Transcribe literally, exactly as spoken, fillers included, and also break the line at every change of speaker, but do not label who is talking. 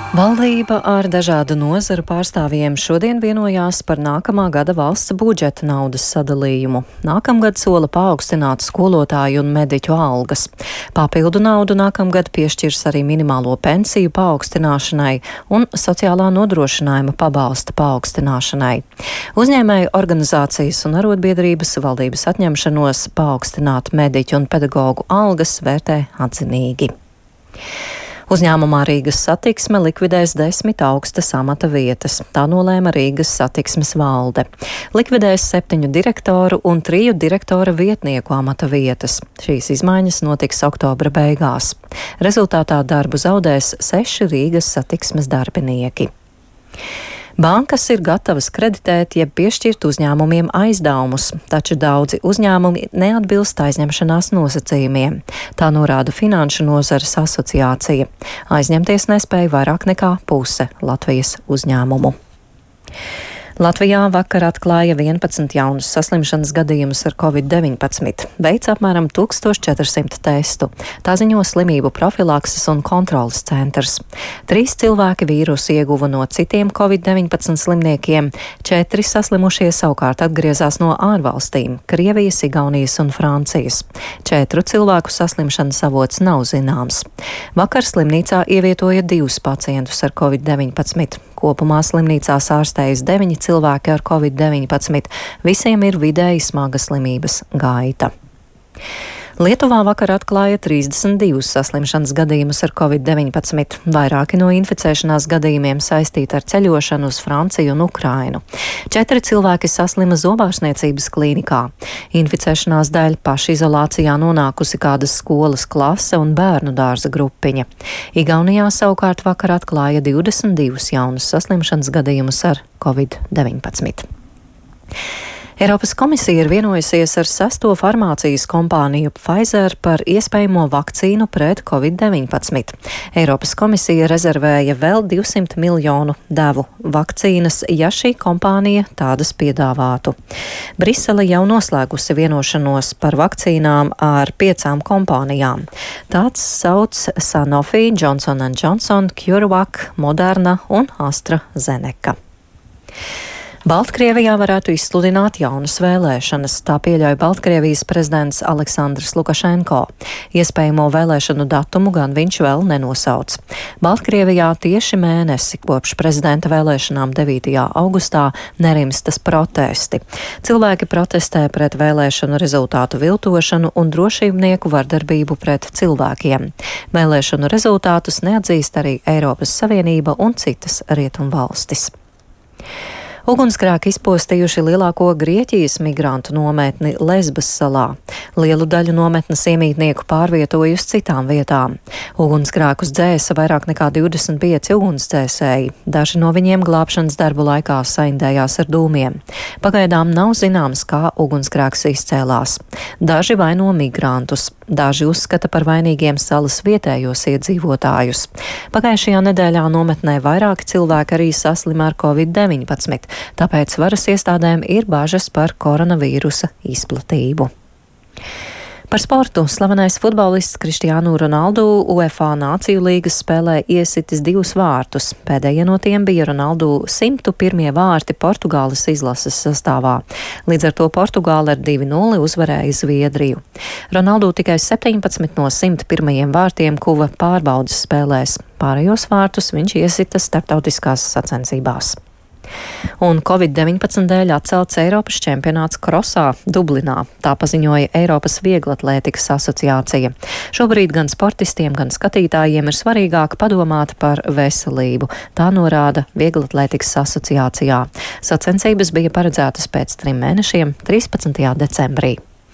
Valdība ar dažādu nozaru pārstāvjiem šodien vienojās par nākamā gada valsts budžeta naudas sadalījumu. Nākamgad sola paaugstināt skolotāju un mediķu algas. Papildu naudu nākamgad piešķirs arī minimālo pensiju paaugstināšanai un sociālā nodrošinājuma pabalsta paaugstināšanai. Uzņēmēju organizācijas un arotbiedrības valdības atņemšanos paaugstināt mediķu un pedagoģu algas vērtē atzinīgi. Uzņēmumā Rīgas satiksme likvidēs desmit augstas amata vietas. Tā nolēma Rīgas satiksmes valde. Likvidēs septiņu direktoru un triju direktora vietnieku amata vietas. Šīs izmaiņas notiks oktobra beigās. Rezultātā darbu zaudēs seši Rīgas satiksmes darbinieki. Bankas ir gatavas kreditēt, jeb piešķirt uzņēmumiem aizdevumus, taču daudzi uzņēmumi neatbilst aizņemšanās nosacījumiem. Tā norāda Finanšu nozares asociācija. Aizņemties nespēja vairāk nekā puse Latvijas uzņēmumu. Latvijā vakar atklāja vienpadsmit jaunus saslimšanas gadījumus ar covid deviņpadsmit. Veic apmēram tūkstoš četrsimt testu. Tā ziņo slimību profilakses un kontrolas centrs. Trīs cilvēki vīrusu ieguva no citiem covid deviņpadsmit slimniekiem. Četri saslimušie savukārt atgriezās no ārvalstīm - Krievijas, Igaunijas un Francijas. Četru cilvēku saslimšanas avots nav zināms. Vakar slimnīcā ievietoja divus pacientus ar covid deviņpadsmit. Kopumā slimnīcās ārstējas deviņi cilvēki ar covid deviņpadsmit. Visiem ir vidēji smaga slimības gaita. Lietuvā vakar atklāja trīsdesmit divus saslimšanas gadījumus ar covid deviņpadsmit. Vairāki no inficēšanās gadījumiem saistīti ar ceļošanu uz Franciju un Ukrainu. Četri cilvēki saslima zobārstniecības klīnikā. Inficēšanās dēļ pašizolācijā nonākusi kādas skolas klase un bērnu dārza grupiņa. Igaunijā savukārt vakar atklāja divdesmit divus jaunus saslimšanas gadījumus ar covid deviņpadsmit. Eiropas komisija ir vienojusies ar sesto farmācijas kompāniju Pfizer par iespējamo vakcīnu pret covid deviņpadsmit. Eiropas komisija rezervēja vēl divsimt miljonu devu vakcīnas, ja šī kompānija tādas piedāvātu. Brisele jau noslēgusi vienošanos par vakcīnām ar piecām kompānijām. Tāds sauc Sanofi, Johnson and Johnson, CureVac, Moderna un AstraZeneca. Baltkrievijā varētu izsludināt jaunas vēlēšanas, tā pieļauj Baltkrievijas prezidents Aleksandrs Lukašenko. Iespējamo vēlēšanu datumu gan viņš vēl nenosauc. Baltkrievijā tieši mēnesi kopš prezidenta vēlēšanām devītajā augustā nerimstas protesti. Cilvēki protestē pret vēlēšanu rezultātu viltošanu un drošībnieku vardarbību pret cilvēkiem. Vēlēšanu rezultātus neatzīst arī Eiropas Savienība un citas rietumvalstis. Ugunsgrēki izpostījuši lielāko Grieķijas migrantu nometni Lesbas salā. Lielu daļu nometnes iemītnieku pārvietoja uz citām vietām. Ugunsgrēkus dzēsa vairāk nekā divdesmit pieci ugunsdzēsēji. Daži no viņiem glābšanas darbu laikā saindējās ar dūmiem. Pagaidām nav zināms, kā ugunsgrēks izcēlās. Daži vaino migrantus. Daži uzskata par vainīgiem salas vietējos iedzīvotājus. Pagājušajā nedēļā nometnē vairāki cilvēki arī saslima ar covid deviņpadsmit, tāpēc varas iestādēm ir bažas par koronavīrusa izplatību. Par sportu slavenais futbolists Cristiano Ronaldo UEFA Nāciju līgas spēlē iesitis divus vārtus. Pēdējie no tiem bija Ronaldo simtu pirmie vārti Portugāles izlases sastāvā. Līdz ar to Portugāla ar divi nulle uzvarēja Zviedriju. Ronaldo tikai septiņpadsmit no simt pirmajiem vārtiem kuva pārbaudas spēlēs. Pārējos vārtus viņš iesita starptautiskās sacensībās. Un covid deviņpadsmit dēļ atcelts Eiropas čempionāts krosā Dublinā. Tā paziņoja Eiropas vieglatlētikas asociācija. Šobrīd gan sportistiem, gan skatītājiem ir svarīgāk padomāt par veselību. Tā norāda vieglatlētikas asociācijā. Sacensības bija paredzētas pēc trim mēnešiem, trīspadsmitajā decembrī.